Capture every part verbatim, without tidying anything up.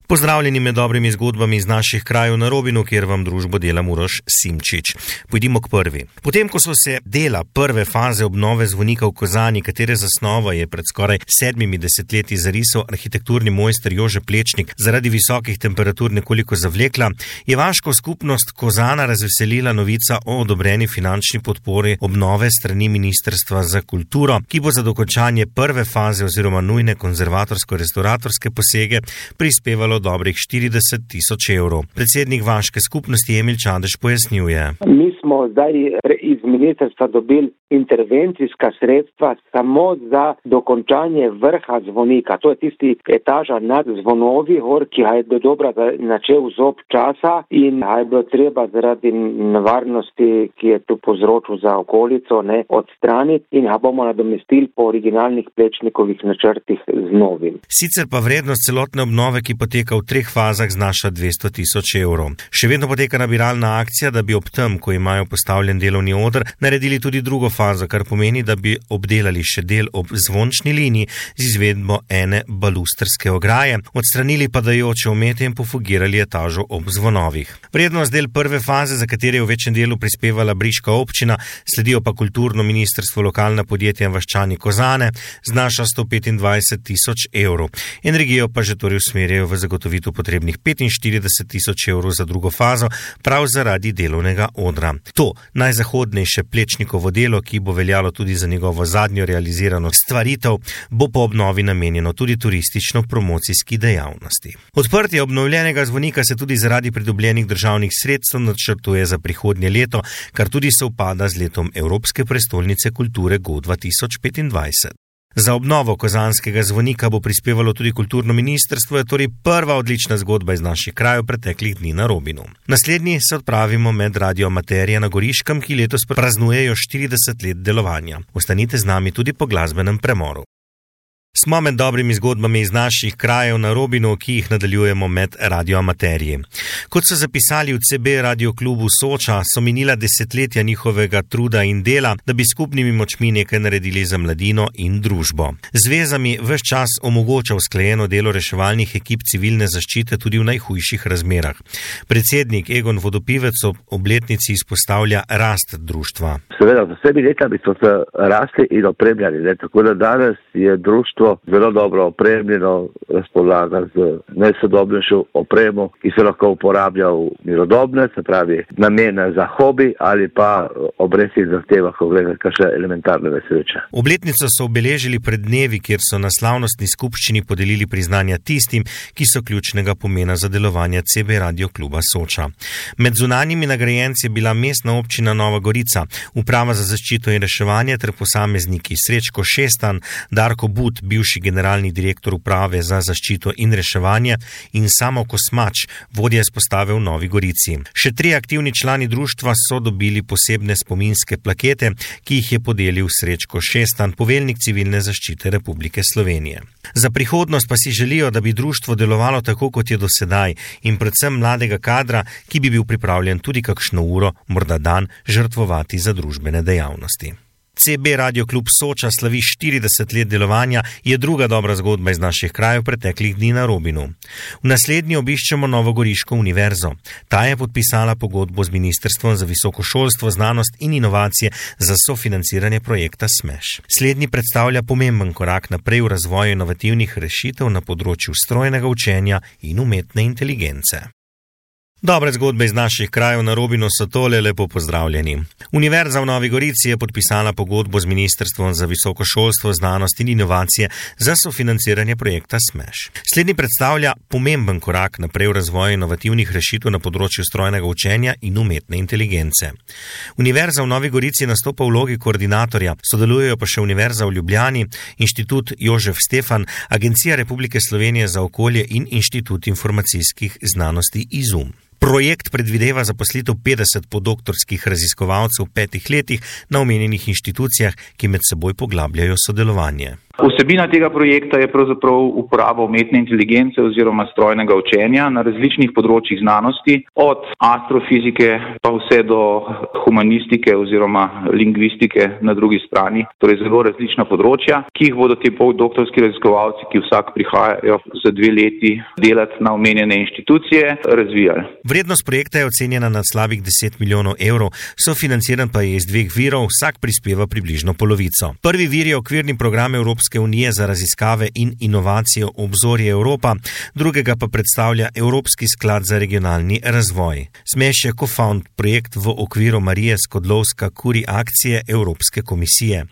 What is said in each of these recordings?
Pozdravljeni med dobrimi zgodbami iz naših krajev na Robinu, kjer vam družbo dela Uroš Simčič. Pojdimo k prvi. Potem, ko so se dela prve faze obnove zvonika v Kozani, katere zasnova je pred skoraj sedmimi desetletji zarisal arhitekturni mojster Jože Plečnik, zaradi visokih temperatur nekoliko zavlekla, je vaško skupnost Kozana razveselila novica o odobreni finančni podpori obnove strani Ministrstva za kulturo, ki bo za dokončanje prve faze oziroma nujne konzervatorsko-restauratorske posege prispevalo dobrih štirideset tisoč evrov. Predsednik vaške skupnosti Emil Čadež pojasnjuje. Mi smo zdaj iz ministrstva dobili intervencijska sredstva samo za dokončanje vrha zvonika. To je tisti etaža nad zvonovi, gor, ki ga je do dobra načel zob časa in ga je bilo treba zaradi nevarnosti, ki je tu povzročil za okolico, ne, odstraniti in ga bomo nadomestili po originalnih Plečnikovih načrtih z novim. Sicer pa vrednost celotne obnove, ki poteka v treh fazah, znaša dvesto tisoč evrov. Še vedno poteka nabiralna akcija, da bi ob tem, ko imajo postavljen delovni oder, naredili tudi drugo fazo, kar pomeni, da bi obdelali še del ob zvončni liniji z izvedbo ene balustrske ograje, odstranili padajoče omete in pofugirali etažo ob zvonovih. Vrednost del prve faze, za katere je v večjem delu prispevala briška občina, sledijo pa kulturno ministrstvo, lokalna podjetja in vaščani Kozane, znaša sto petindvajset tisoč evrov. Energijo pa že torej usmerjajo v zagotovitev potrebnih petinštirideset tisoč evrov za drugo fazo, prav zaradi delovnega odra. To najzahodnejše Plečnikovo delo, ki bo veljalo tudi za njegovo zadnjo realizirano stvaritev, bo po obnovi namenjeno tudi turistično-promocijski dejavnosti. Odprtje obnovljenega zvonika se tudi zaradi pridobljenih državnih sredstev načrtuje za prihodnje leto, kar tudi sovpada z letom Evropske prestolnice kulture Go dva tisoč petindvajset. Za obnovo kozanskega zvonika bo prispevalo tudi kulturno ministrstvo, je torej prva odlična zgodba iz naših krajev preteklih dni na Robinu. Naslednji se odpravimo med Radio Amaterija na Goriškem, ki letos praznujejo štirideset let delovanja. Ostanite z nami tudi po glasbenem premoru. Smo med dobrimi zgodbami iz naših krajev na Robinu, ki jih nadaljujemo med Radio Amateriji. Kot so zapisali v C B Radio klubu Soča, so minila desetletja njihovega truda in dela, da bi skupnimi močmi nekaj naredili za mladino in družbo. Zvezami ves čas omogoča usklajeno delo reševalnih ekip civilne zaščite tudi v najhujših razmerah. Predsednik Egon Vodopivec ob obletnici izpostavlja rast društva. Seveda, v vsemi letami so se rasli in opremljali, ne? Tako da danes je društvo zelo dobro opremljeno, razpolaga z najsodobnejšo opremo, ki se lahko uporablja v mirodobne, se pravi namene za hobi ali pa ob resnih zahtevah, ko gre za kakšne elementarne nesreče. Obletnico so obeležili pred dnevi, kjer so na slavnostni skupščini podelili priznanja tistim, ki so ključnega pomena za delovanje C B Radio kluba Soča. Med zunanjimi nagrajenci je bila mestna občina Nova Gorica, uprava za zaščito in reševanje ter posamezniki Srečko Šestan, Darko But, bivši generalni direktor uprave za zaščito in reševanje, in Samo Kosmač, vodja izpostave v Novi Gorici. Še tri aktivni člani društva so dobili posebne spominske plakete, ki jih je podelil Srečko Šestan, poveljnik civilne zaščite Republike Slovenije. Za prihodnost pa si želijo, da bi društvo delovalo tako, kot je do sedaj, in predvsem mladega kadra, ki bi bil pripravljen tudi kakšno uro, morda dan, žrtvovati za družbene dejavnosti. C B Radio klub Soča slavi štirideset let delovanja, je druga dobra zgodba iz naših krajev preteklih dni na Robinu. V naslednji obiščemo Novogoriško univerzo. Ta je podpisala pogodbo z Ministrstvom za visoko šolstvo, znanost in inovacije za sofinanciranje projekta SMEŠ. Slednji predstavlja pomemben korak naprej v razvoju inovativnih rešitev na področju strojnega učenja in umetne inteligence. Dobre zgodbe iz naših krajev na Robinu so tole, lepo pozdravljeni. Univerza v Novi Gorici je podpisala pogodbo z Ministrstvom za visoko šolstvo, znanost in inovacije za sofinanciranje projekta SMEŠ. Slednji predstavlja pomemben korak naprej v razvoju inovativnih rešitev na področju strojnega učenja in umetne inteligence. Univerza v Novi Gorici nastopa v vlogi koordinatorja, sodelujejo pa še Univerza v Ljubljani, Inštitut Jožef Stefan, Agencija Republike Slovenije za okolje in Inštitut informacijskih znanosti IZUM. Projekt predvideva zaposlitev petdeset podoktorskih raziskovalcev v petih letih na omenjenih inštitucijah, ki med seboj poglabljajo sodelovanje. Vsebina tega projekta je pravzaprav uporaba umetne inteligence oziroma strojnega učenja na različnih področjih znanosti, od astrofizike pa vse do humanistike oziroma lingvistike na drugi strani, torej zelo različna področja, ki jih bodo ti postdoktorski raziskovalci, ki vsak prihajajo za dve leti delati na omenjene inštitucije, razvijali. Vrednost projekta je ocenjena na slabih deset milijonov evrov, sofinanciran pa je iz dveh virov, vsak prispeva približno polovico. Prvi vir je okvirni program Evropske unije za raziskave in inovacijo Obzorje Evropa, drugega pa predstavlja Evropski sklad za regionalni razvoj. Smeš je co-found projekt v okviru Marije Skłodowska-Curie akcije Evropske komisije.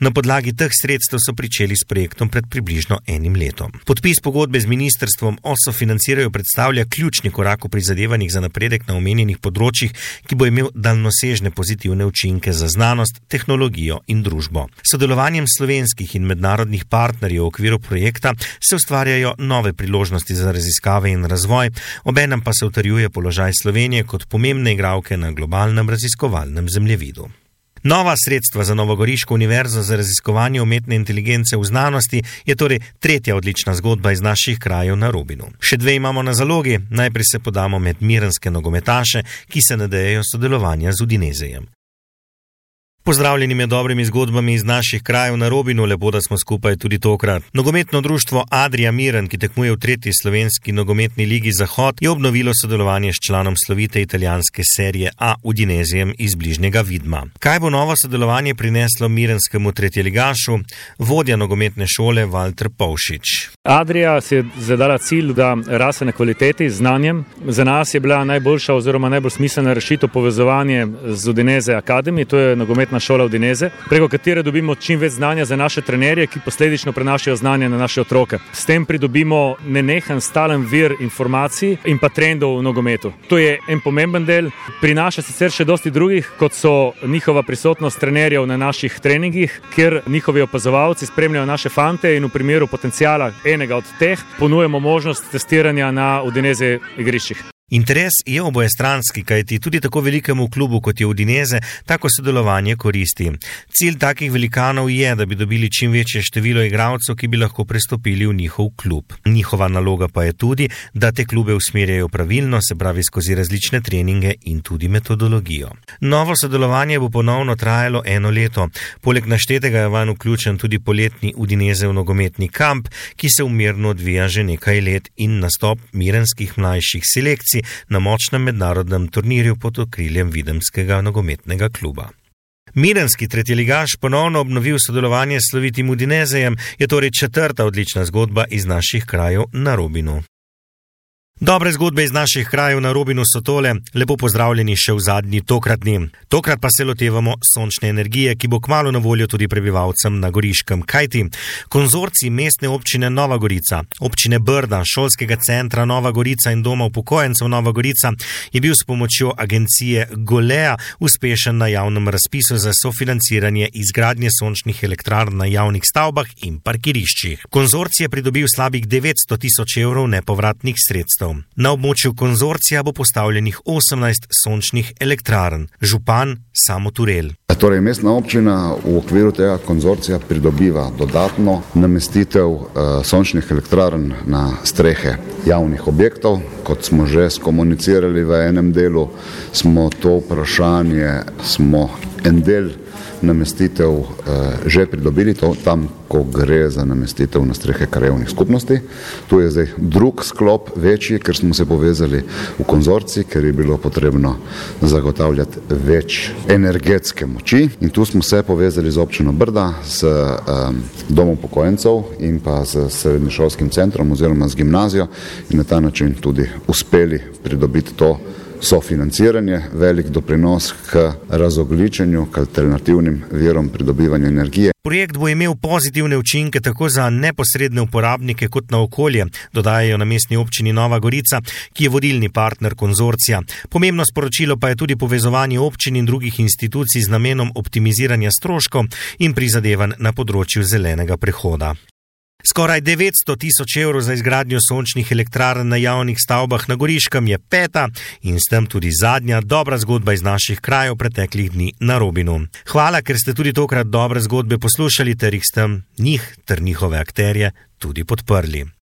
Na podlagi teh sredstev so pričeli s projektom pred približno enim letom. Podpis pogodbe z ministrstvom o sofinanciranju predstavlja ključni korak v prizadevanjih za napredek na omenjenih področjih, ki bo imel daljnosežne pozitivne učinke za znanost, tehnologijo in družbo. Sodelovanjem slovenskih in mednarodnih partnerjev v okviru projekta se ustvarjajo nove priložnosti za raziskave in razvoj, obenem pa se utrjuje položaj Slovenije kot pomembne igralke na globalnem raziskovalnem zemljevidu. Nova sredstva za Novogoriško univerzo za raziskovanje umetne inteligence v znanosti je torej tretja odlična zgodba iz naših krajev na Robinu. Še dve imamo na zalogi, najprej se podamo med mirenske nogometaše, ki se nadejajo sodelovanja z Udinezejem. Pozdravljeni med dobrimi zgodbami iz naših krajev na Robinu, lepo, da smo skupaj tudi tokrat. Nogometno društvo Adria Miren, ki tekmuje v tretji slovenski nogometni ligi Zahod, je obnovilo sodelovanje s članom slovite italijanske serije A Udinezijem iz bližnjega Vidma. Kaj bo novo sodelovanje prineslo mirenskemu tretjeligašu? Vodja nogometne šole Valter Povšič. Adria si je zadala cilj, da raste na kvaliteti, znanjem. Za nas je bila najboljša oziroma najbolj smiselna rešitev povezovanje z Udineze Academy, to je nogometna šola Udineze, preko katere dobimo čim več znanja za naše trenerje, ki posledično prenašajo znanje na naše otroke. S tem pridobimo nenehen stalen vir informacij in pa trendov v nogometu. To je en pomemben del, prinaša sicer še dosti drugih, kot so njihova prisotnost trenerjev na naših treningih, kjer njihovi opazovalci spremljajo naše fante in v primeru potencijala enega od teh ponujemo možnost testiranja na Udineze igriščih. Interes je obojestranski, kajti tudi tako velikemu klubu, kot je Udineze, tako sodelovanje koristi. Cilj takih velikanov je, da bi dobili čim večje število igralcev, ki bi lahko prestopili v njihov klub. Njihova naloga pa je tudi, da te klube usmerjajo pravilno, se pravi skozi različne treninge in tudi metodologijo. Novo sodelovanje bo ponovno trajalo eno leto. Poleg naštetega je vanj vključen tudi poletni Udinezev nogometni kamp, ki se umirno odvija že nekaj let, in nastop mirenskih mlajših selekcij na močnem mednarodnem turnirju pod okriljem videmskega nogometnega kluba. Mirenski tretjeligaš ponovno obnovil sodelovanje s slovitim Udinezejem, je torej četrta odlična zgodba iz naših krajev na Robinu. Dobre zgodbe iz naših krajev na Robinu so tole, lepo pozdravljeni še v zadnji tokratni. Tokrat pa se lotevamo sončne energije, ki bo kmalu na voljo tudi prebivalcem na Goriškem. Kajti konzorcij mestne občine Nova Gorica, občine Brda, šolskega centra Nova Gorica in doma upokojencev Nova Gorica je bil s pomočjo agencije Golea uspešen na javnem razpisu za sofinanciranje izgradnje sončnih elektrarn na javnih stavbah in parkiriščih. Konzorcij je pridobil slabih devetsto tisoč evrov nepovratnih sredstev. Na območju konzorcija bo postavljenih osemnajst sončnih elektrarn. Župan Samo Turel. Torej, mestna občina v okviru tega konzorcija pridobiva dodatno namestitev uh, sončnih elektrarn na strehe javnih objektov. Kot smo že skomunicirali v enem delu, smo to vprašanje, smo en del namestitev uh, že pridobili, to tam, ko gre za namestitev na strehe krajevnih skupnosti. Tu je zdaj drug sklop, večji, ker smo se povezali v konzorcij, ker je bilo potrebno zagotavljati več energetske moči. In tu smo se povezali z občino Brda, s um, domom upokojencev in pa s srednješolskim centrom oziroma z gimnazijo in na ta način tudi uspeli pridobiti to sofinanciranje, velik doprinos k razogljičenju, k alternativnim virom pridobivanja energije. Projekt bo imel pozitivne učinke tako za neposredne uporabnike kot na okolje, dodajajo na mestni občini Nova Gorica, ki je vodilni partner konzorcija. Pomembno sporočilo pa je tudi povezovanje občin in drugih institucij z namenom optimiziranja stroškov in prizadevanj na področju zelenega prehoda. Skoraj devetsto tisoč evrov za izgradnjo sončnih elektrarn na javnih stavbah na Goriškem je peta in s tem tudi zadnja dobra zgodba iz naših krajev preteklih dni na Robinu. Hvala, ker ste tudi tokrat dobre zgodbe poslušali ter jih s tem njih ter njihove akterje tudi podprli.